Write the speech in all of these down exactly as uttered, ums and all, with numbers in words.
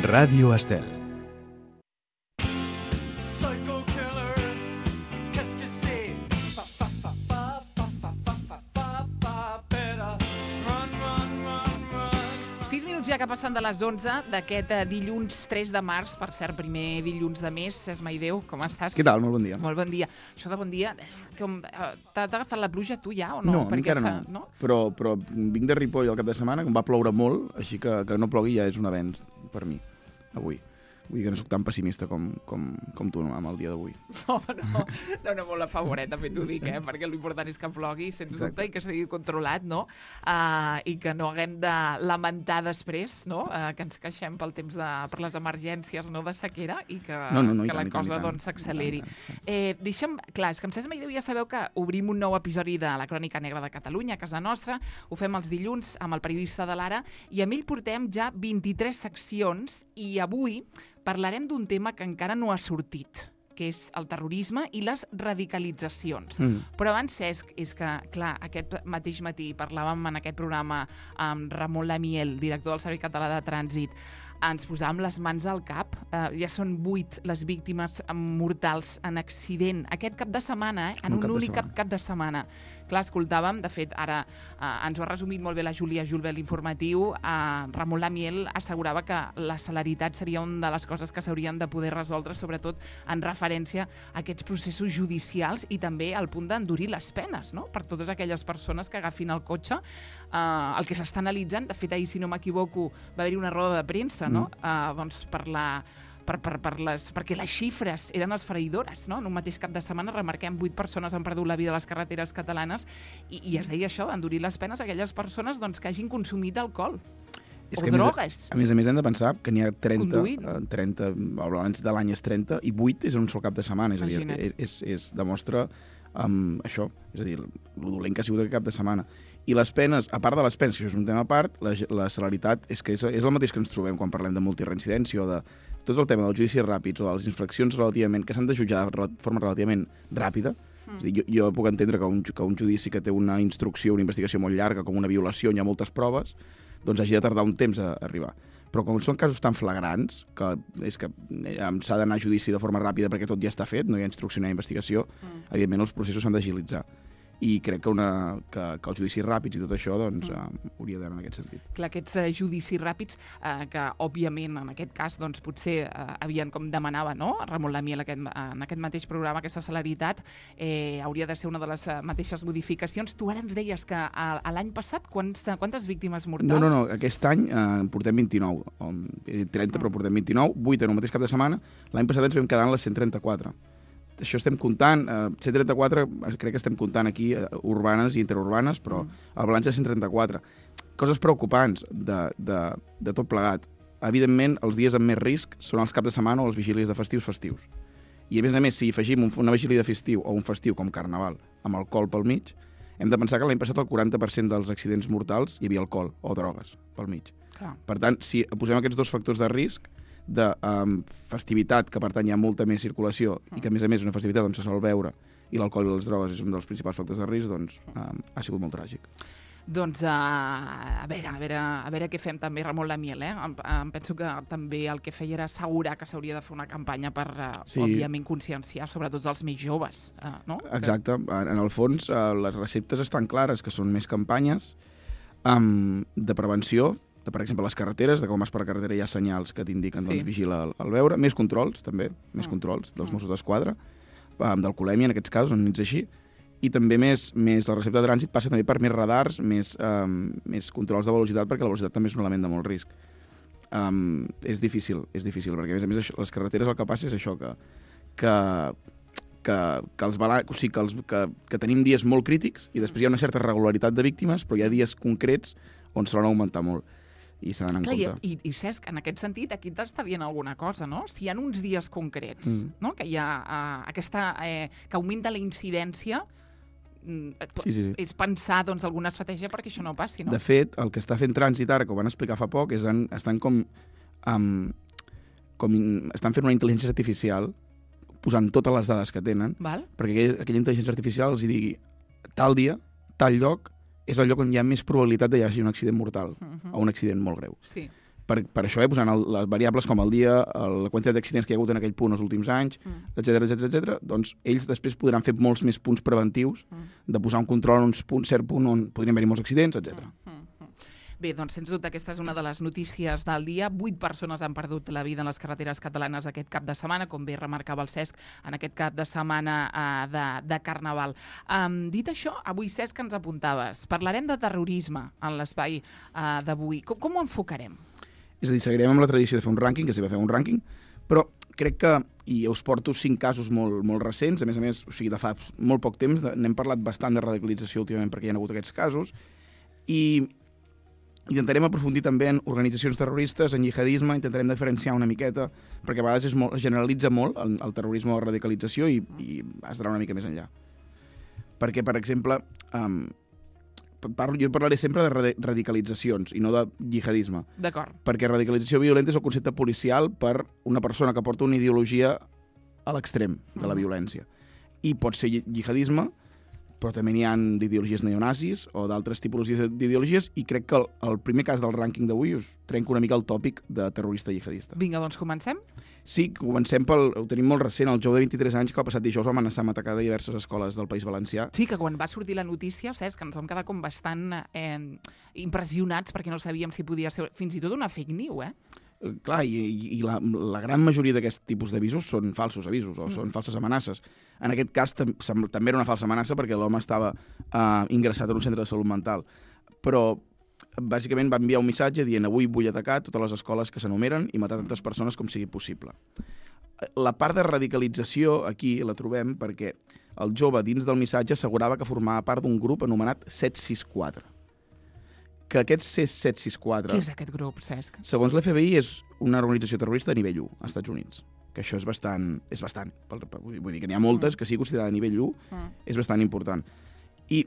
Ràdio Estel. sis minuts ja que passen de les onze d'aquest dilluns tres de març, per cert, primer dilluns de mes. Esmai Déu, com estàs? Què tal? Molt bon dia. Molt bon dia. Això de bon dia, com, t'ha agafat la pluja tu ja o no? No, Perquè encara està, no. no? Però, però vinc de Ripoll el cap de setmana, que em va ploure molt, així que que no plogui ja és un avenç per mi, avui. Vull dir que no soc tan pessimista com, com, com tu no, amb el dia d'avui. No, no, no, no molt a favoret, també t'ho dic, eh? Perquè l'important és que plogui, sens dubte, i que sigui controlat, no? Uh, I que no haguem de lamentar després, no? Uh, que ens queixem pel temps de, per les emergències, no?, de sequera, i que, no, no, no, que tant, la tant, cosa tant, doncs s'acceleri. tant, tant, tant. Eh, deixa'm, clar, és que amb Esmai Déu ja sabeu que obrim un nou episodi de la Crònica Negra de Catalunya, a casa nostra. Ho fem els dilluns amb el periodista de l'Ara, i amb ell portem ja vint-i-tres seccions, i avui parlarem d'un tema que encara no ha sortit, que és el terrorisme i les radicalitzacions. Mm. Però abans, Cesc, és que, clar, aquest mateix matí parlàvem en aquest programa amb Ramon Lamiel, director del Servei Català de Trànsit, ens posàvem les mans al cap. Uh, ja són vuit les víctimes mortals en accident aquest cap de setmana, eh? en un, un únic cap, cap de setmana. Clar, escoltàvem, de fet, ara uh, ens ho ha resumit molt bé la Júlia Julbel l'informatiu, uh, Ramon Lamiel assegurava que la celeritat seria una de les coses que s'haurien de poder resoldre, sobretot en referència a aquests processos judicials i també al punt d'endurir les penes, no?, per totes aquelles persones que agafin el cotxe. Uh, el que s'està analitzant, de fet, ahir, si no m'equivoco, va haver-hi una roda de premsa, no?, mm. uh, doncs per la... Per, per, per les, perquè les xifres eren esfereïdores, no? En un mateix cap de setmana remarquem vuit persones han perdut la vida a les carreteres catalanes i, i es deia això, d'endurir les penes a aquelles persones doncs, que hagin consumit alcohol és o drogues. A més a més hem de pensar que n'hi ha trenta, trenta, abans de l'any és trenta, i vuit és en un sol cap de setmana, és a dir, és, és, és, demostra um, això, és a dir, el dolent que ha sigut aquest cap de setmana. I les penes, a part de les penes, que això és un tema a part, la, la celeritat és que és, és el mateix que ens trobem quan parlem de multireincidència o de tot el tema dels judicis ràpids o de les infraccions relativament que s'han de jutjar de forma relativament ràpida. Mm. És a dir, jo, jo puc entendre que un, que un judici que té una instrucció, una investigació molt llarga, com una violació, hi ha moltes proves, doncs hagi de tardar un temps a arribar. Però com són casos tan flagrants, que és que s'ha d'anar a judici de forma ràpida perquè tot ja està fet, no hi ha instrucció ni investigació, mm. evidentment els processos s'han d'agilitzar. I crec que, una, que, que els judicis ràpids i tot això doncs, mm. uh, hauria d'anar en aquest sentit. Clar, aquests uh, judicis ràpids, uh, que òbviament en aquest cas doncs, potser uh, havien, com demanava, no?, Ramon Lamiel aquest, uh, en aquest mateix programa, aquesta celeritat, eh, hauria de ser una de les uh, mateixes modificacions. Tu ara ens deies que a, a l'any passat quants, quantes víctimes mortals? No, no, no, aquest any eh, portem vint-i-nou, he dit trenta mm. però portem vint-i-nou, vuit en un mateix cap de setmana. L'any passat ens vam quedar en les cent trenta-quatre. Això estem comptant, eh, cent trenta-quatre, crec que estem comptant aquí eh, urbanes i interurbanes, però mm. el balanç és cent trenta-quatre. Coses preocupants de, de, de tot plegat. Evidentment, els dies amb més risc són els caps de setmana o els vigílies de festius festius. I a més a més, si afegim un, una vigília de festiu o un festiu com Carnaval amb alcohol pel mig, hem de pensar que l'any passat el quaranta per cent dels accidents mortals hi havia alcohol o drogues pel mig. Clar. Per tant, si posem aquests dos factors de risc, de um, festivitat, que per tant hi ha molta més circulació mm. i que a més a més una festivitat on se sol beure i l'alcohol i les drogues és un dels principals factors de risc, doncs um, ha sigut molt tràgic. Doncs uh, a, veure, a, veure, a veure què fem també, Ramon Lamiel, eh? Em, em penso que també el que feia era assegurar que s'hauria de fer una campanya per, uh, sí. òbviament, conscienciar sobretot els més joves, uh, no? Exacte, en, en el fons uh, les receptes estan clares, que són més campanyes um, de prevenció, de, per exemple, les carreteres, de com vas per la carretera hi ha senyals que t'indiquen, sí. doncs, vigila el, el veure. Més controls, també, més mm. controls dels Mossos d'Esquadra, um, d'alcoholèmia, en aquests casos, on ets així. I també més, més la recepta de trànsit passa també per més radars, més, um, més controls de velocitat, perquè la velocitat també és un element de molt risc. Um, és difícil, és difícil, perquè a més a més això, les carreteres el que passa és això, que, que, que, que, els bala... o sigui, que, els, que, que tenim dies molt crítics i després hi ha una certa regularitat de víctimes, però hi ha dies concrets on se l'han augmentar molt. I s'ha d'anar en Clar, compte. I, i Cesc, en aquest sentit, aquí t'està dient alguna cosa, no? Si hi ha uns dies concrets, mm. no?, que hi ha uh, aquesta... Eh, que augmenta la incidència, mm, sí, sí, sí. és pensar, doncs, alguna estratègia perquè això no passi, no? De fet, el que està fent Trànsit ara, que ho van explicar fa poc, és en, estan com... Um, com estan fent una intel·ligència artificial posant totes les dades que tenen, Val. perquè aquella, aquella intel·ligència artificial els hi digui tal dia, tal lloc, és el lloc on hi ha més probabilitat de hi hagi un accident mortal uh-huh. o un accident molt greu. Sí. Per, per això, eh, posant el, les variables com el dia, el, la quantitat d'accidents que hi ha hagut en aquell punt els últims anys, etcètera, etcètera, etcètera, doncs ells després podran fer molts més punts preventius mm. de posar un control en un punt, cert punt on podrien haver-hi molts accidents, etcètera. Mm. Bé, doncs, sens dubte, aquesta és una de les notícies del dia. Vuit persones han perdut la vida en les carreteres catalanes aquest cap de setmana, com bé remarcava el Cesc, en aquest cap de setmana uh, de, de Carnaval. Um, dit això, avui, Cesc, ens apuntaves. Parlarem de terrorisme en l'espai uh, d'avui. Com, com ho enfocarem? És a dir, seguirem amb la tradició de fer un rànquing, que s'hi va fer un rànquing, però crec que, i us porto cinc casos molt, molt recents, a més a més, o sigui, de fa molt poc temps, n'hem parlat bastant de radicalització últimament perquè hi ha hagut aquests casos, i intentarem aprofundir també en organitzacions terroristes, en jihadisme, intentarem diferenciar una miqueta, perquè a vegades es, molt, es generalitza molt el, el terrorisme o la radicalització i, i has d'anar una mica més enllà. Perquè, per exemple, um, parlo, jo parlaré sempre de radicalitzacions i no de jihadisme. D'acord. Perquè radicalització violenta és el concepte policial per una persona que porta una ideologia a l'extrem de la violència. I pot ser jihadisme, però també n'hi ha d'ideologies neonazis o d'altres tipologies d'ideologies, i crec que el, el primer cas del rànquing d'avui us trenca una mica el tòpic de terrorista jihadista. Vinga, doncs comencem? Sí, comencem pel... Ho tenim molt recent, el jove de vint-i-tres anys que el passat dijous va amenaçar amb atacar de diverses escoles del País Valencià. Sí, que quan va sortir la notícia, saps, que ens vam quedar com bastant eh, impressionats perquè no sabíem si podia ser fins i tot una fake news, eh? Clar, i, i la, la gran majoria d'aquest tipus d'avisos són falsos avisos o mm. són falses amenaces. En aquest cas tam també era una falsa amenaça perquè l'home estava uh, ingressat en un centre de salut mental. Però bàsicament va enviar un missatge dient avui vull atacar totes les escoles que s'enumeren i matar tantes persones com sigui possible. La part de radicalització aquí la trobem perquè el jove dins del missatge assegurava que formava part d'un grup anomenat set sis quatre. Que aquest set sis quatre... Què és aquest grup, Cesc? Segons l'F B I, és una organització terrorista a nivell u, als Estats Units. Que això és bastant... És bastant. Vull dir que n'hi ha moltes, mm. que sigui considerada a nivell u, mm. és bastant important. I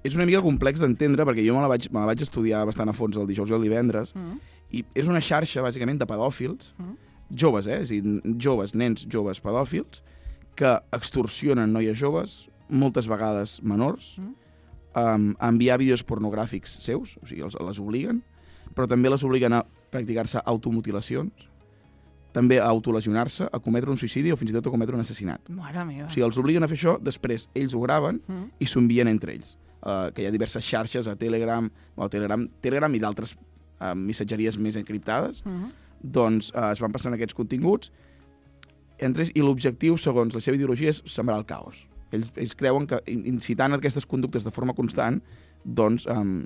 és una mica complex d'entendre, perquè jo me la, vaig, me la vaig estudiar bastant a fons el dijous i el divendres, mm. i és una xarxa, bàsicament, de pedòfils, mm. joves, eh? És a dir, joves, nens joves pedòfils, que extorsionen noies joves, moltes vegades menors, mm. Um, a enviar vídeos pornogràfics seus, o sigui, els, les obliguen, però també les obliguen a practicar-se automutilacions, també a autolesionar-se, a cometre un suïcidi o fins i tot a cometre un assassinat. Mare meva. O sigui, els obliguen a fer això, després ells ho graven mm. i s'ho envien entre ells. Uh, que hi ha diverses xarxes, a Telegram, o a Telegram, Telegram i d'altres uh, missatgeries més encriptades, mm. doncs uh, es van passant aquests continguts entre ells, i l'objectiu, segons la seva ideologia, és sembrar el caos. Ells, ells creuen que incitant aquestes conductes de forma constant, doncs um,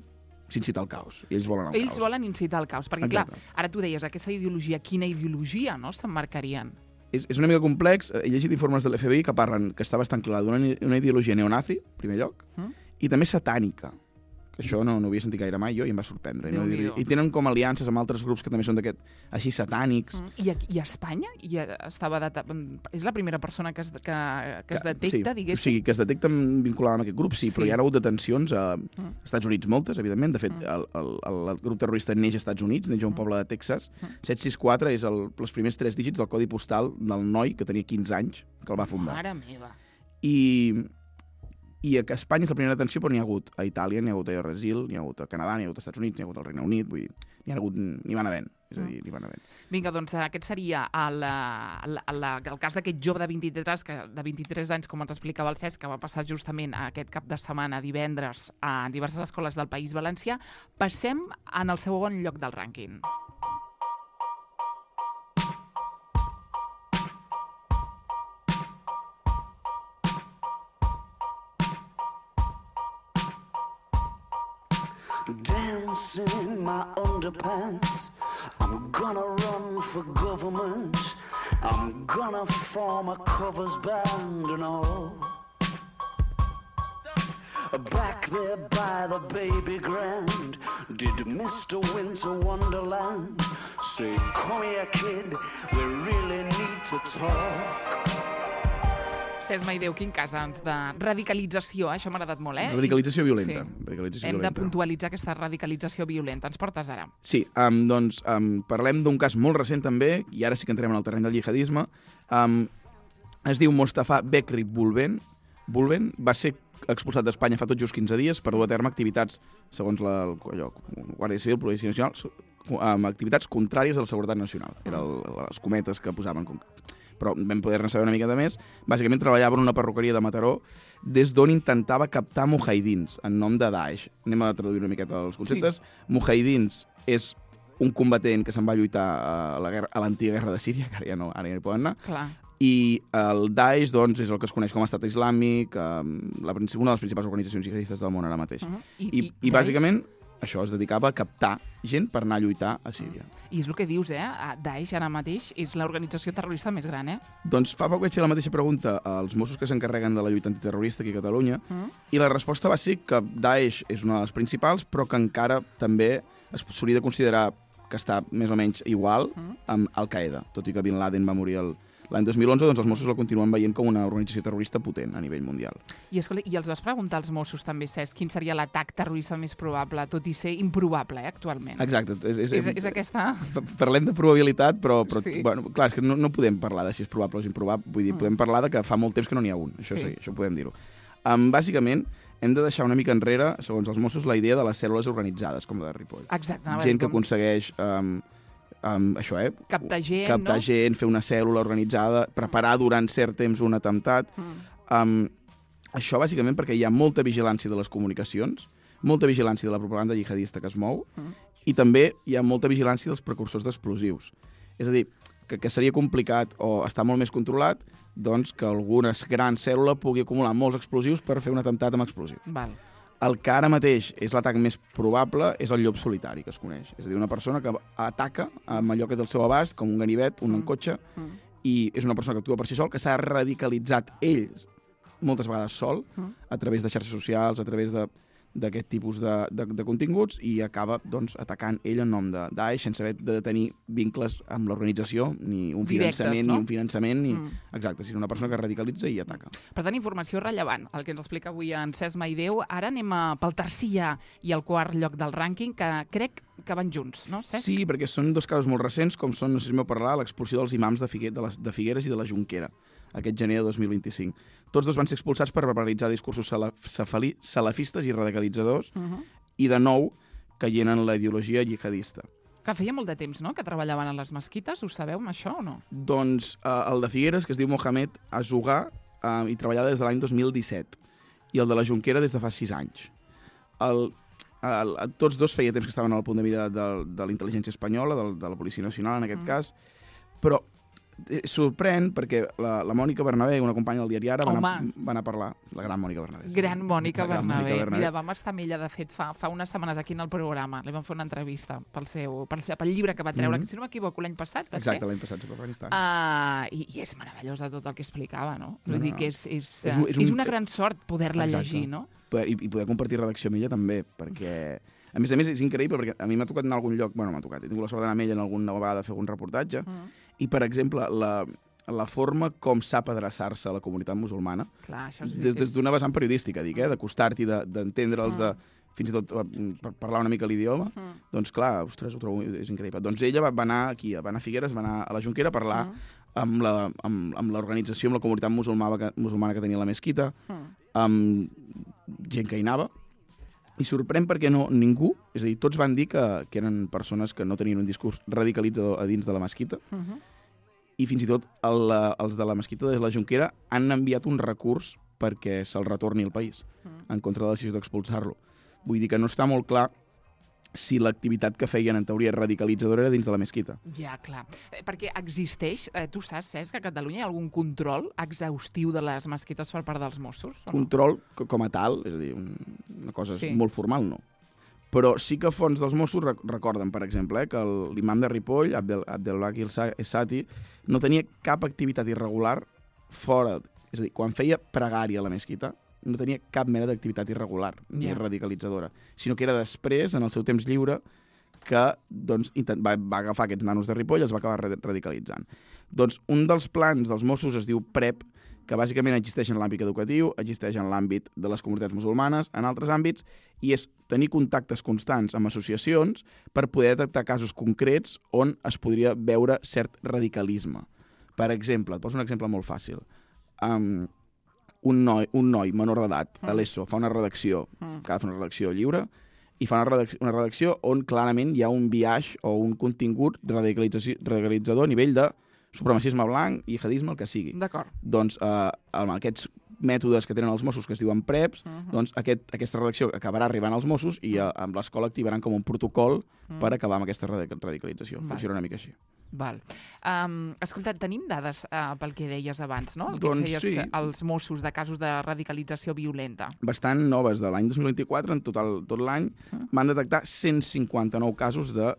s'incita al caos. I ells volen el ells caos. Ells volen incitar al caos, perquè Exacte. Clar, ara tu deies, aquesta ideologia, quina ideologia no s'emmarcarien? És, és una mica complex. He llegit informes de l'F B I que parlen, que està bastant clar, d'una ideologia neonazi, en primer lloc, mm? i també satànica, que això no, no havia sentit gaire mai jo i em va sorprendre. No? I tenen com aliances amb altres grups que també són d'aquest així satànics. Mm. I, a, I a Espanya? I estava data... És la primera persona que es, que, que es detecta, sí, diguéssim? O sigui, que es detecta vinculada amb aquest grup, sí, sí. Però hi ha hagut detencions a mm. Estats Units, moltes, evidentment. De fet, mm. el, el, el grup terrorista neix als Estats Units, neix a un poble de Texas. Mm. set sis quatre és el, els primers tres dígits del codi postal del noi que tenia quinze anys, que el va fundar. Mare meva! I... I a Espanya és la primera detenció, però n'hi ha hagut a Itàlia, n'hi ha hagut a Brasil, n'hi ha hagut a Canadà, n'hi ha hagut als Estats Units, n'hi ha hagut al Regne Unit, vull dir, n'hi ha hagut, n'hi van havent, és a dir, n'hi van havent. Vinga, doncs aquest seria el, el, el, el cas d'aquest jove de vint-i-tres, que, de vint-i-tres anys, com ens explicava el Cesc, que va passar justament aquest cap de setmana, divendres, a diverses escoles del País Valencià. Passem en el segon lloc del rànquing. Dancing in my underpants, I'm gonna run for government, I'm gonna form a covers band and all. Back there by the baby grand, did Mister Winter Wonderland say, come here kid, we really need to talk. Cesc Maideu, quin cas doncs, de radicalització, això m'ha agradat molt, eh? Radicalització violenta. Sí. Radicalització Hem violenta. de puntualitzar aquesta radicalització violenta. Ens portes ara? Sí, um, doncs um, parlem d'un cas molt recent també, i ara sí que entrem en el terreny del jihadisme. Um, es diu Mostafa Bekri Bulben. Bulben va ser expulsat d'Espanya fa tot just quinze dies per dur a terme activitats, segons la allò, Guàrdia Civil, Policia Nacional, amb activitats contràries a la seguretat nacional. Eren les cometes que posaven... Però vam poder-ne saber una mica de més. Bàsicament treballava en una perruqueria de Mataró des d'on intentava captar mujahidins en nom de Daesh. Anem a traduir una miqueta els conceptes. Sí. Mujahidins és un combatent que se'n va lluitar a la guerra, a l'antiga guerra de Síria, que ara ja no, ara ja no hi poden anar. Clar. I el Daesh, doncs, és el que es coneix com a Estat Islàmic, eh, la, una de les principals organitzacions jihadistes del món ara mateix. Uh -huh. I, I, i, i bàsicament això es dedicava a captar gent per anar a lluitar a Síria. I és el que dius, eh? Daesh ara mateix és l'organització terrorista més gran, eh? Doncs fa poc vaig fer la mateixa pregunta als Mossos que s'encarreguen de la lluita antiterrorista aquí a Catalunya, mm. i la resposta va ser que Daesh és una de les principals, però que encara també s'hauria de considerar que està més o menys igual mm. amb Al-Qaeda, tot i que Bin Laden va morir el... L'any dos mil onze, doncs, els Mossos la continuen veient com una organització terrorista potent a nivell mundial. I, escolta, i els vas preguntar als Mossos també, Cesc, quin seria l'atac terrorista més probable, tot i ser improbable, eh, actualment? Exacte. És, és, és, és aquesta... Parlem de probabilitat, però, però sí. bueno, clar, és que no, no podem parlar de si és probable o és improbable. Vull dir, mm. podem parlar de que fa molt temps que no n'hi ha un. Això sí, sí això podem dir-ho. Um, bàsicament, hem de deixar una mica enrere, segons els Mossos, la idea de les cèl·lules organitzades, com la de Ripoll. Exacte. Gent que com... aconsegueix... Um, Um, això, eh? Captar gent, Captar no? gent, fer una cèl·lula organitzada, preparar durant cert temps un atemptat. Mm. Um, això, bàsicament, perquè hi ha molta vigilància de les comunicacions, molta vigilància de la propaganda jihadista que es mou, mm. i també hi ha molta vigilància dels precursors d'explosius. És a dir, que, que seria complicat o està molt més controlat doncs, que alguna gran cèl·lula pugui acumular molts explosius per fer un atemptat amb explosius. Val. El que ara mateix és l'atac més probable és el llop solitari, que es coneix. És a dir, una persona que ataca amb allò que té al seu abast, com un ganivet, un mm. cotxe, mm. i és una persona que actua per si sol, que s'ha radicalitzat ell, moltes vegades sol, mm. a través de xarxes socials, a través de d'aquest tipus de, de, de continguts, i acaba doncs, atacant ell en nom de Daesh sense haver de tenir vincles amb l'organització, ni un Directes, finançament, no? ni un finançament, ni... Mm. Exacte, sinó una persona que radicalitza i ataca. Per tant, informació rellevant, el que ens explica avui en Cesc Maideu. Ara anem a, pel tercer ja i el quart lloc del rànquing, que crec que van junts, no, Cesc? Sí, perquè són dos casos molt recents, com són, no sé si m'heu parlat, l'expulsió dels imams de, Figue, de, les, de Figueres i de la Jonquera, aquest gener de dos mil vint-i-cinc. Tots dos van ser expulsats per verbalitzar discursos salafistes i radicalitzadors, uh-huh. i de nou caient en la ideologia jihadista. Que feia molt de temps, no?, que treballaven a les mesquites. Ho sabeu, això, o no? Doncs eh, el de Figueres, que es diu Mohamed Azugà, eh, i treballava des de l'any dos mil disset, i el de la Jonquera des de fa sis anys. El, el, tots dos feia temps que estaven al punt de mira de, de la intel·ligència espanyola, de, de la Policia Nacional, en aquest mm. cas, però sorprèn perquè la, la Mònica Bernabé, una companya del diari Ara, va anar, va anar a parlar. La gran Mònica Bernabé. Sí. Gran Mònica Bernabé. Mònica Bernabé. Mira, vam estar amb ella, de fet, fa, fa unes setmanes aquí en el programa. Li vam fer una entrevista pel, seu, pel, seu, pel llibre que va treure, mm-hmm. que si no m'equivoco, l'any passat, va Exacte, ser? l'any passat, Afganistan. Uh, i, I és meravellosa tot el que explicava, no? Vull no, dir no. que és, és, és, un, és, un, és una gran sort poder-la llegir, no? I, I poder compartir redacció amb ella també, perquè... A més a més, és increïble, perquè a mi m'ha tocat en algun lloc... Bueno, m'ha tocat, he tingut la sort d'anar amb ella en alguna vegada a fer algun reportatge, mm. i, per exemple, la... la forma com sap adreçar-se a la comunitat musulmana, clar, això és des, des d'una vessant periodística, dic, eh, d'acostar-t'hi, d'entendre'ls, de, fins i tot per parlar una mica l'idioma, mm. doncs clar, ostres, ho trobo, és increïble. Doncs ella va, va anar aquí, va anar a Figueres, va anar a la Jonquera a parlar mm. amb la, amb, amb l'organització, amb la comunitat musulmana que, musulmana que tenia la mesquita, mm. amb gent que hi anava, i sorprèn perquè no, ningú, és a dir, tots van dir que, que eren persones que no tenien un discurs radicalitzador a dins de la mesquita, mm-hmm. i fins i tot el, els de la mesquita de la Jonquera han enviat un recurs perquè se'l retorni al país, mm. en contra de la decisió d'expulsar-lo. Vull dir que no està molt clar si l'activitat que feien, en teoria, radicalitzadora era dins de la mesquita. Ja, clar. Eh, perquè existeix, eh, tu saps, Cesc, que a Catalunya hi ha algun control exhaustiu de les mesquites per part dels Mossos? Control no? com a tal, és a dir, un, una cosa sí. molt formal, no. Però sí que fons dels Mossos recorden, per exemple, eh, que l'imam de Ripoll, Abdel, Abdelbaki Essati, no tenia cap activitat irregular fora, és a dir, quan feia pregària a la mesquita, no tenia cap mena d'activitat irregular ni yeah. radicalitzadora, sinó que era després, en el seu temps lliure, que doncs, intent, va, va agafar aquests nanos de Ripoll i els va acabar radicalitzant. Doncs un dels plans dels Mossos es diu PREP, que bàsicament existeix en l'àmbit educatiu, existeix en l'àmbit de les comunitats musulmanes, en altres àmbits, i és tenir contactes constants amb associacions per poder detectar casos concrets on es podria veure cert radicalisme. Per exemple, et poso un exemple molt fàcil. Um, un, noi, un noi menor d'edat, mm. a l'ESO, fa una redacció, mm. que ha de fer una redacció lliure, i fa una redacció, una redacció on clarament hi ha un biaix o un contingut radicalitzador a nivell de supremacisme blanc, jihadisme, el que sigui. D'acord. Doncs eh, amb aquests mètodes que tenen els Mossos, que es diuen preps, uh -huh. doncs aquest, aquesta redacció acabarà arribant als Mossos i uh -huh. amb l'escola activaran com un protocol uh -huh. per acabar amb aquesta radicalització. Val. Funciona una mica així. Val. Um, escolta, tenim dades uh, pel que deies abans, no? El que doncs feies sí. als Mossos de casos de radicalització violenta. Bastant noves. De l'any dos mil vint-i-quatre, en total, tot l'any, uh -huh. van detectar cent cinquanta-nou casos de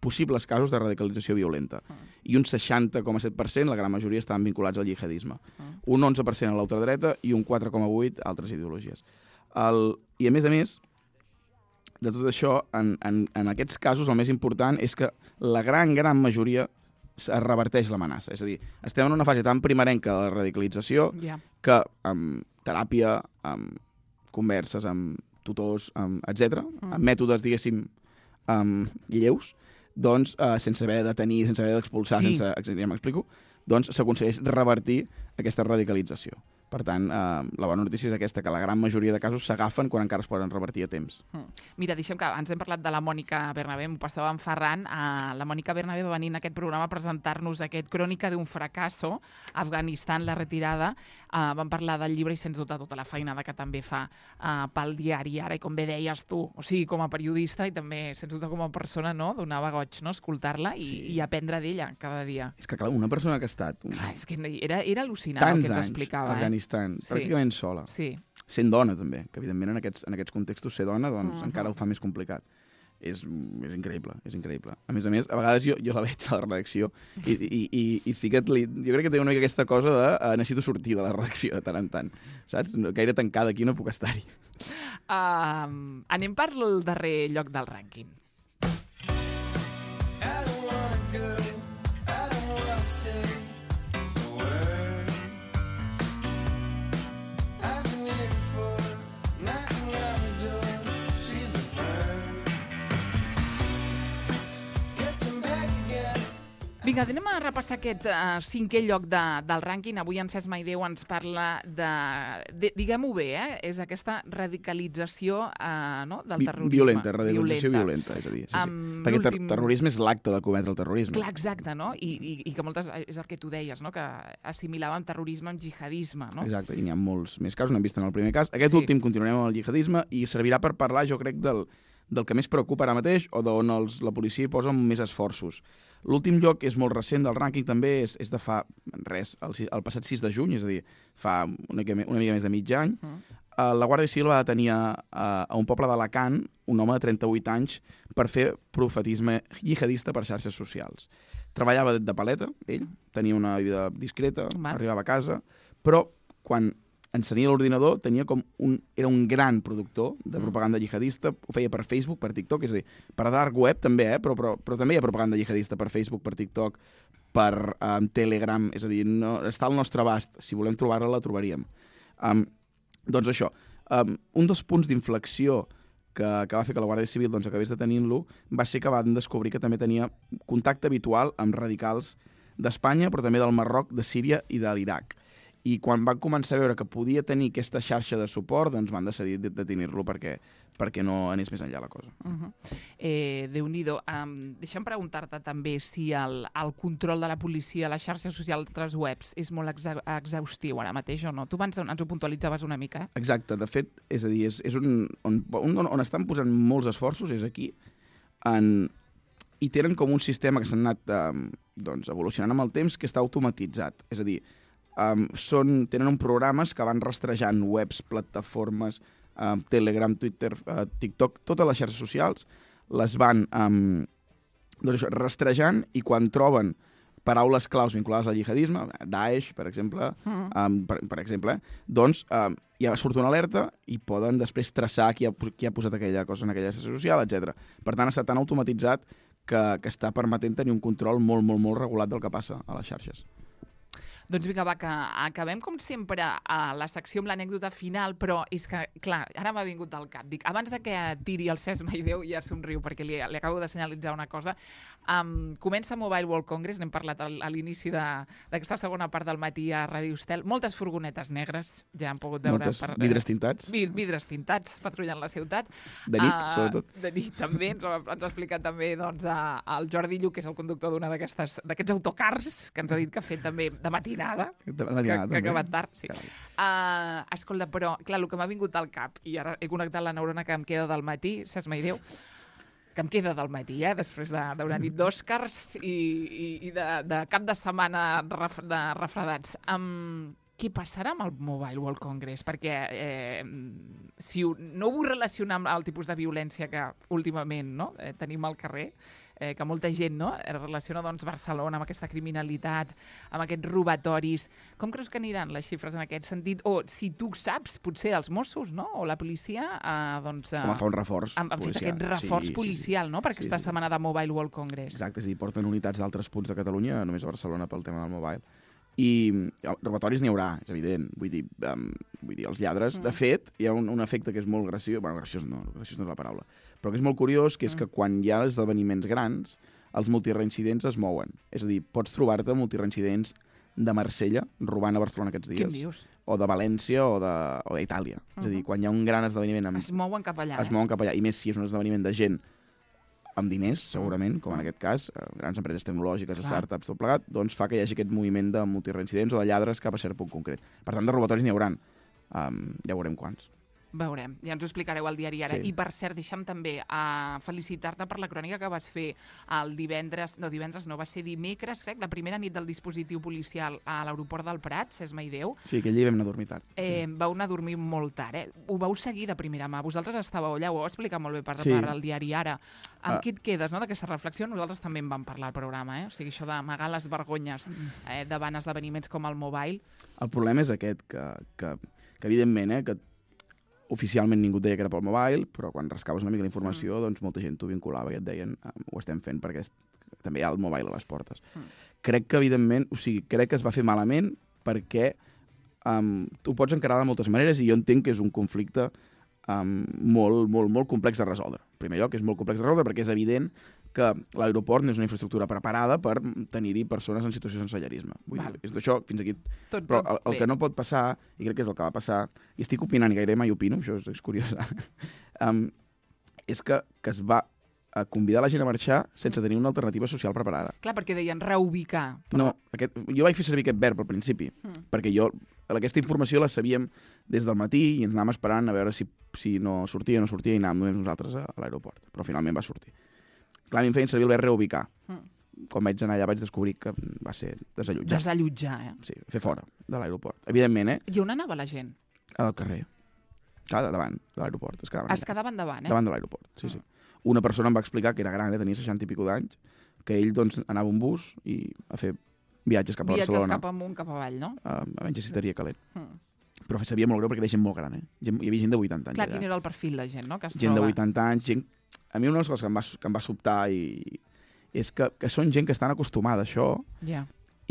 possibles casos de radicalització violenta. Uh -huh. I un seixanta coma set per cent, la gran majoria, estaven vinculats al jihadisme. Uh -huh. Un onze per cent a l'ultradreta i un quatre coma vuit per cent a altres ideologies. El... I, a més a més, de tot això, en, en, en aquests casos, el més important és que la gran, gran majoria es reverteix l'amenaça. És a dir, estem en una fase tan primerenca de la radicalització yeah. que amb teràpia, amb converses, amb tutors, amb, etcètera, mm. amb mètodes, diguéssim, um, lleus, doncs, eh, sense haver de detenir, sense haver d'expulsar, sí. sense, ja m'explico, doncs s'aconsegueix revertir aquesta radicalització. Per tant, eh, la bona notícia és aquesta, que la gran majoria de casos s'agafen quan encara es poden revertir a temps. Mm. Mira, deixem que ens hem parlat de la Mònica Bernabé, m'ho passava en Ferran. Uh, la Mònica Bernabé va venir en aquest programa a presentar-nos aquest Crònica d'un fracasso, Afganistan, la retirada. Uh, vam parlar del llibre i sens dubte tota la feinada que també fa uh, pel diari ara, i com bé deies tu, o sigui, com a periodista i també, sens dubte, com a persona, no? Donava goig, no?, escoltar-la i, sí. i aprendre d'ella cada dia. És que, clar, una persona que ha estat... Un... Clar, és que era, era al·lucinant el que ens explicava. Tants anys, Afganistan, sí. pràcticament sola. Sí. Sent dona, també, que evidentment en aquests, en aquests contextos ser dona doncs, uh-huh. encara ho fa més complicat. És, és increïble, és increïble. A més a més, a vegades jo, jo la veig a la redacció i, i, i, i sí que li, jo crec que té una mica aquesta cosa de uh, necessito sortir de la redacció de tant en tant, saps? Gaire tancada aquí no puc estar-hi. Uh, anem per el darrer lloc del rànquing. Vinga, anem a repassar aquest uh, cinquè lloc de, del rànquing. Avui en Cesc Maideu ens parla de, de diguem-ho bé, eh? és aquesta radicalització uh, no? del terrorisme. Violenta, radicalització violenta, violenta és a dir. Sí, sí. Um, Perquè ter terrorisme és l'acte de cometre el terrorisme. Clar, exacte, no? I, i, i que moltes, és el que tu deies, no? Que assimilàvem terrorisme amb jihadisme, no? Exacte, i n'hi ha molts més casos, n'hem vist en el primer cas. Aquest sí. últim continuarem amb el jihadisme i servirà per parlar, jo crec, del, del que més preocupa ara mateix o d'on els, la policia hi posa més esforços. L'últim lloc és molt recent del rànquing, també és, és de fa res, el, el passat sis de juny, és a dir, fa una mica, una mica més de mig any. Mm. Uh, la Guàrdia Civil va detenir a, a un poble d'Alacant un home de trenta-vuit anys per fer profetisme jihadista per xarxes socials. Treballava de paleta, ell, tenia una vida discreta, Mal. arribava a casa, però quan encenia l'ordinador, tenia com un, era un gran productor de propaganda jihadista, ho feia per Facebook, per TikTok, és a dir, per dark web també, eh? però, però, però també hi ha propaganda jihadista per Facebook, per TikTok, per um, Telegram, és a dir, no, està al nostre abast, si volem trobar-la, la trobaríem. Um, doncs això, um, un dels punts d'inflexió que, que va fer que la Guàrdia Civil doncs, acabés detenint-lo va ser que van descobrir que també tenia contacte habitual amb radicals d'Espanya, però també del Marroc, de Síria i de l'Iraq. I quan van començar a veure que podia tenir aquesta xarxa de suport, doncs van decidir detenir-lo perquè, perquè no anés més enllà la cosa. Uh -huh. eh, Déu-n'hi-do. Um, deixa'm preguntar-te també si el, el control de la policia a les xarxes socials d'altres webs és molt exa exhaustiu ara mateix o no? Tu abans ens ho puntualitzaves una mica, eh? Exacte. De fet, és a dir, és, és un, on, on, on estan posant molts esforços, és aquí, en, i tenen com un sistema que s'ha anat um, doncs, evolucionant amb el temps que està automatitzat. És a dir, Um, són, tenen un programes que van rastrejant webs, plataformes, um, Telegram, Twitter, uh, TikTok, totes les xarxes socials, les van um, doncs això, rastrejant i quan troben paraules claus vinculades al jihadisme, Daesh, per exemple, mm. um, per, per exemple, doncs um, ja surt una alerta i poden després traçar qui ha, qui ha posat aquella cosa en aquella xarxa social, etcètera. Per tant, està tan automatitzat que, que està permetent tenir un control molt, molt, molt regulat del que passa a les xarxes. Doncs vinga, va, que acabem com sempre a la secció amb l'anècdota final, però és que, clar, ara m'ha vingut al cap. Dic, abans de que tiri el Cesc Maideu, ja somriu, perquè li, li acabo de senyalitzar una cosa. Um, comença Mobile World Congress, n'hem parlat al, a l'inici d'aquesta segona part del matí a Ràdio Estel. Moltes furgonetes negres, ja han pogut veure. Moltes per, vidres tintats. Vid, vidres tintats, patrullant la ciutat. De nit, uh, sobretot. De nit, també. Ens, ens ha explicat també doncs, a, el Jordi Lluc, que és el conductor d'una d'aquests autocars, que ens ha dit que ha fet també de matinada, de matinada que, que ha acabat tard. Sí. Uh, escolta, però, clar, el que m'ha vingut al cap, i ara he connectat la neurona que em queda del matí, Cesc Maideu, que em queda del matí, eh, després d'una nit d'Òscars i, i, i de, de cap de setmana ref, de refredats. Um, què passarà amb el Mobile World Congress? Perquè eh, si ho, no ho vull relacionar amb el tipus de violència que últimament no, eh, tenim al carrer, eh, que molta gent no, relaciona doncs, Barcelona amb aquesta criminalitat, amb aquests robatoris. Com creus que aniran les xifres en aquest sentit? O si tu saps, potser els Mossos no? O la policia eh, doncs, eh, com a fa un reforç han, han policial. fet aquest reforç sí, policial sí, sí. no? per sí, aquesta sí. setmana de Mobile World Congress. Exacte, és a dir, porten unitats d'altres punts de Catalunya, només a Barcelona pel tema del mobile. I robatoris n'hi haurà, és evident. Vull dir, um, vull dir els lladres, mm. de fet, hi ha un, un efecte que és molt graciós, bueno, graciós no, graciós no és la paraula, però que és molt curiós, que és mm. que quan hi ha esdeveniments grans, els multireincidents es mouen. És a dir, pots trobar-te multireincidents de Marsella robant a Barcelona aquests dies. Què dius? O de València o d'Itàlia. Uh -huh. És a dir, quan hi ha un gran esdeveniment... Amb, es mouen cap allà, Es eh? mouen cap allà. I més si és un esdeveniment de gent amb diners, segurament, com en aquest cas, grans empreses tecnològiques, Clar. startups, tot plegat, doncs fa que hi hagi aquest moviment de multireincidents o de lladres cap a cert punt concret. Per tant, de robatoris n'hi haurà. Um, ja veurem quants. Veurem, ja ens ho explicareu al diari ara. Sí. I per cert, deixa'm també uh, felicitar-te per la crònica que vas fer el divendres, no, divendres no, va ser dimecres, crec, la primera nit del dispositiu policial a l'aeroport del Prat, Cesc Maideu. Sí, aquell dia vam anar a dormir tard. Eh, vau anar a dormir molt tard, eh? Ho vau seguir de primera mà. Vosaltres estàveu allà, ho vau explicar molt bé per, sí. per al diari ara. Amb ah. qui et quedes, no?, d'aquesta reflexió? Nosaltres també en vam parlar al programa, eh? O sigui, això d'amagar les vergonyes eh, davant esdeveniments com el Mobile. El problema és aquest, que, que, que evidentment, eh, que oficialment ningú et deia que era pel mobile, però quan rascaves una mica la informació, mm. doncs molta gent t'ho vinculava i et deien ho estem fent perquè és, també hi ha el mobile a les portes. Mm. Crec que, evidentment, o sigui, crec que es va fer malament perquè um, tu pots encarar de moltes maneres i jo entenc que és un conflicte um, molt, molt, molt complex de resoldre. En primer lloc, és molt complex de resoldre perquè és evident que l'aeroport no és una infraestructura preparada per tenir-hi persones en situació de sensellarisme. Vull dir, és d'això fins aquí. Tot, Però tot el, el que no pot passar, i crec que és el que va passar, i estic opinant i gairebé mai opino, això és, és curiós, um, és que, que es va a convidar la gent a marxar sense tenir una alternativa social preparada. Clar, perquè deien reubicar. Però... No, aquest, jo vaig fer servir aquest verb al principi, mm. perquè jo aquesta informació la sabíem des del matí i ens anàvem esperant a veure si, si no sortia o no sortia i anàvem només nosaltres a, a l'aeroport. Però finalment va sortir. Clar, a mi em feien servir el verb reubicar. Mm. Quan vaig anar allà vaig descobrir que va ser desallotjar. Desallotjar, eh? Sí, fer fora de l'aeroport. Evidentment, eh? I on anava la gent? Al carrer. Clar, davant de l'aeroport. Es quedaven, es quedaven davant, eh? Davant de l'aeroport, sí, mm. sí. Una persona em va explicar que era gran, eh? Tenia seixanta i pico d'anys, que ell doncs, anava un bus i a fer viatges cap a viatges Barcelona. Viatges cap amunt, cap avall, no? Uh, a menys estaria calent. Mm. Però sabia molt greu perquè era gent molt gran, eh? Gent, hi havia gent de vuitanta anys. Clar, allà. Quin era el perfil de gent, no? Que es gent troba... de vuitanta anys, gent... A mi una de les coses que em va, que em va sobtar i... és que, que són gent que estan acostumada a això yeah.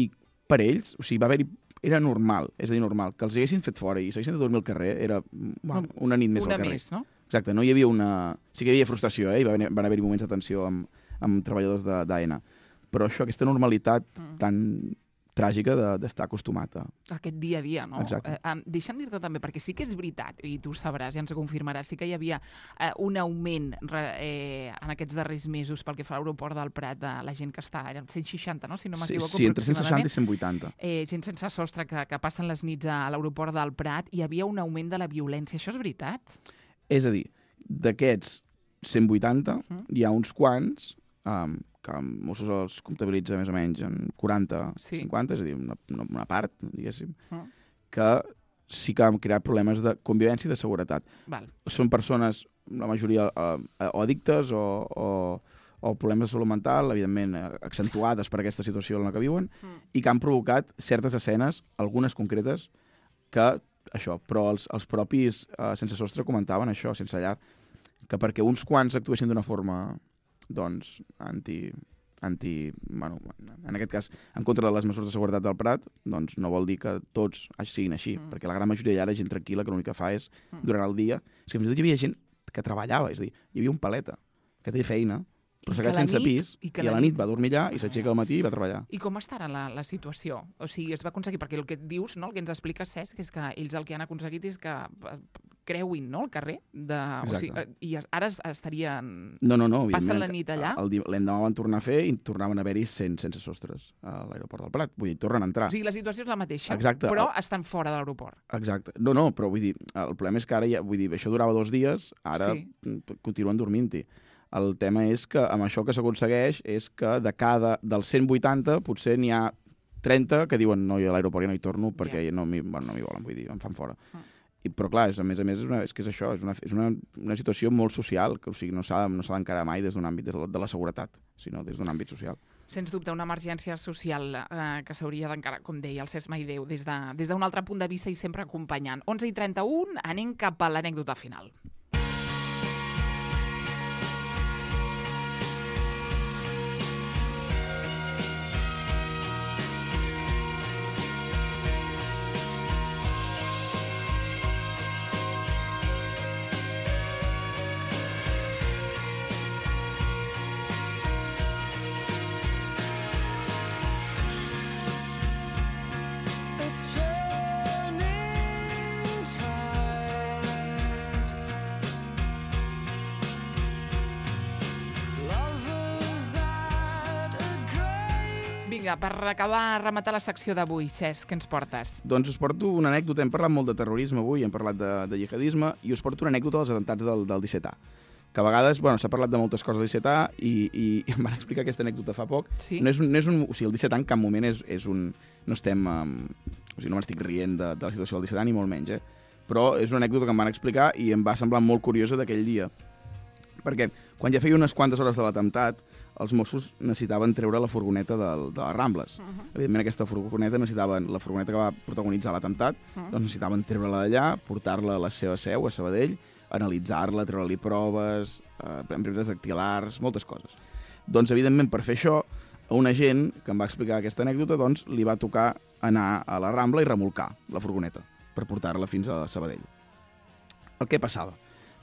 i per ells, o sigui, va haver-hi... Era normal, és a dir, normal, que els haguessin fet fora i s'haguessin de dormir al carrer, era bueno, una nit més una al carrer. Més, no? Exacte, no hi havia una... Sí que hi havia frustració, eh? I va haver, van haver-hi moments de tensió amb, amb treballadors d'A N A. Però això, aquesta normalitat mm. tan tràgica d'estar acostumat a... Aquest dia a dia, no? Exacte. Eh, um, deixa'm dir-te també, perquè sí que és veritat, i tu sabràs, ja ens ho confirmaràs, sí que hi havia eh, un augment re, eh, en aquests darrers mesos pel que fa a l'aeroport del Prat de la gent que està, eren cent seixanta, no? Si no m'equivoco, sí, sí, entre cent seixanta i cent vuitanta. Eh, gent sense sostre que, que passen les nits a l'aeroport del Prat, hi havia un augment de la violència. Això és veritat? És a dir, d'aquests cent vuitanta, uh-huh. hi ha uns quants... Um, que Mossos els comptabilitza més o menys en quaranta, sí. cinquanta, és a dir, una, una part, diguéssim, uh. que sí que han creat problemes de convivència i de seguretat. Val. Són persones, la majoria, eh, o addictes o, o, o problemes de salut mental, evidentment, accentuades per aquesta situació en la que viuen, uh. i que han provocat certes escenes, algunes concretes, que això, però els, els propis eh, sense sostre comentaven això, sense llar, que perquè uns quants actuessin d'una forma... doncs, anti, anti... Bueno, en aquest cas, en contra de les mesures de seguretat del Prat, doncs no vol dir que tots siguin així, mm. perquè la gran majoria ja era gent tranquil·la que l'únic que fa és, mm. durant el dia... És que fins i tot hi havia gent que treballava, és a dir, hi havia un paleta que té feina, però s'ha quedat sense nit, pis, i, i a la nit va dormir allà, i s'aixeca al matí i va treballar. I com està ara la, la situació? O sigui, es va aconseguir, perquè el que et dius, no, el que ens explica Cesc, és que ells el que han aconseguit és que creuin, no?, el carrer, de, o sigui, i ara estarien... No, no, no. Passen la nit allà? L'endemà van tornar a fer i tornaven a haver-hi sense sostres a l'aeroport del Prat. Vull dir, tornen a entrar. O sigui, la situació és la mateixa, Exacte. però estan fora de l'aeroport. Exacte. No, no, però vull dir, el problema és que ara ja, vull dir, això durava dos dies, ara sí. continuen dormint-hi. El tema és que amb això que s'aconsegueix és que de cada, dels cent vuitanta potser n'hi ha trenta que diuen no, jo a l'aeroport ja no hi torno perquè yeah. no m'hi bueno, no volen, vull dir, em fan fora. Mm. I, però clar, és, a més a més, és, una, és que és això, és una, és una, una situació molt social, que o sigui, no s'ha no d'encarar mai des d'un àmbit de la, de la seguretat, sinó des d'un àmbit social. Sens dubte, una emergència social eh, que s'hauria d'encarar, com deia el Cesc Maideu, des d'un de, altre punt de vista i sempre acompanyant. onze i trenta-u, anem cap a l'anècdota final. Vinga, per acabar, rematar la secció d'avui, Cesc, què ens portes? Doncs us porto una anècdota. Hem parlat molt de terrorisme avui, hem parlat de, de jihadisme, i us porto una anècdota dels atemptats del, del disset A. Que a vegades, bueno, s'ha parlat de moltes coses del disset A i, i em van explicar aquesta anècdota fa poc. Sí? No és un, no és un, o sigui, el disset A en cap moment és, és un... No estem... Um, o sigui, no m'estic rient de, de la situació del disset A, ni molt menys, eh? Però és una anècdota que em van explicar i em va semblar molt curiosa d'aquell dia. Perquè quan ja feia unes quantes hores de l'atemptat, els Mossos necessitaven treure la furgoneta del, de les Rambles. Uh -huh. Evidentment, aquesta furgoneta necessitaven, la furgoneta que va protagonitzar l'atemptat, uh -huh. doncs necessitaven treure-la d'allà, portar-la a la seva seu, a Sabadell, analitzar-la, treure-li proves, eh, empreses dactilars, moltes coses. Doncs, evidentment, per fer això, a un agent que em va explicar aquesta anècdota, doncs, li va tocar anar a la Rambla i remolcar la furgoneta per portar-la fins a Sabadell. El que passava?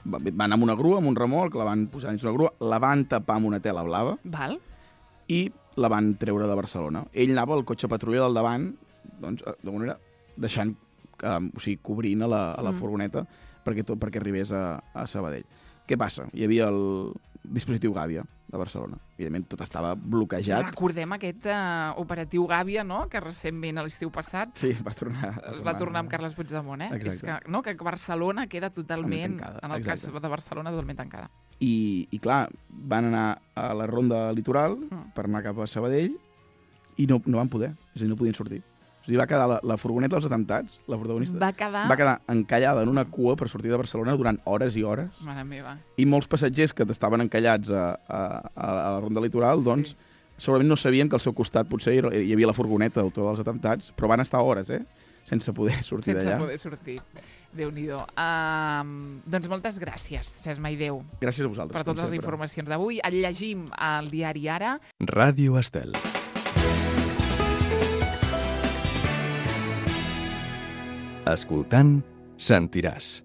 Van anar amb una grua, amb un remolc, la van posar dins una grua, la van tapar amb una tela blava. Val. I la van treure de Barcelona. Ell anava al cotxe patrulla del davant, doncs, de manera, deixant, eh, o sigui, cobrint a la, a la mm. furgoneta perquè, tot, perquè arribés a, a Sabadell. Què passa? Hi havia el dispositiu Gàbia de Barcelona. Evidentment, tot estava bloquejat. Recordem aquest uh, operatiu Gàbia, no?, que recentment, a l'estiu passat, sí, va tornar, va tornar, va tornar amb Carles Puigdemont, eh? És que, no, que Barcelona queda totalment, tancada, en el exacte. Cas de Barcelona, totalment tancada. I, I, clar, van anar a la ronda litoral mm. per anar cap a Sabadell i no, no van poder, és a dir, no podien sortir. O sigui, va quedar la, la furgoneta dels atemptats, la protagonista, va quedar... va quedar encallada en una cua per sortir de Barcelona durant hores i hores. Mare meva. I molts passatgers que estaven encallats a, a, a la ronda litoral, doncs, sí. segurament no sabien que al seu costat potser hi havia la furgoneta d'autor dels atemptats, però van estar hores, eh?, sense poder sortir d'allà. Sense poder sortir. Déu-n'hi-do. Uh, doncs moltes gràcies, Cesc Maideu. Gràcies a vosaltres. Per totes les informacions d'avui. El llegim al diari Ara. Ràdio Estel. Escoltant, sentiràs.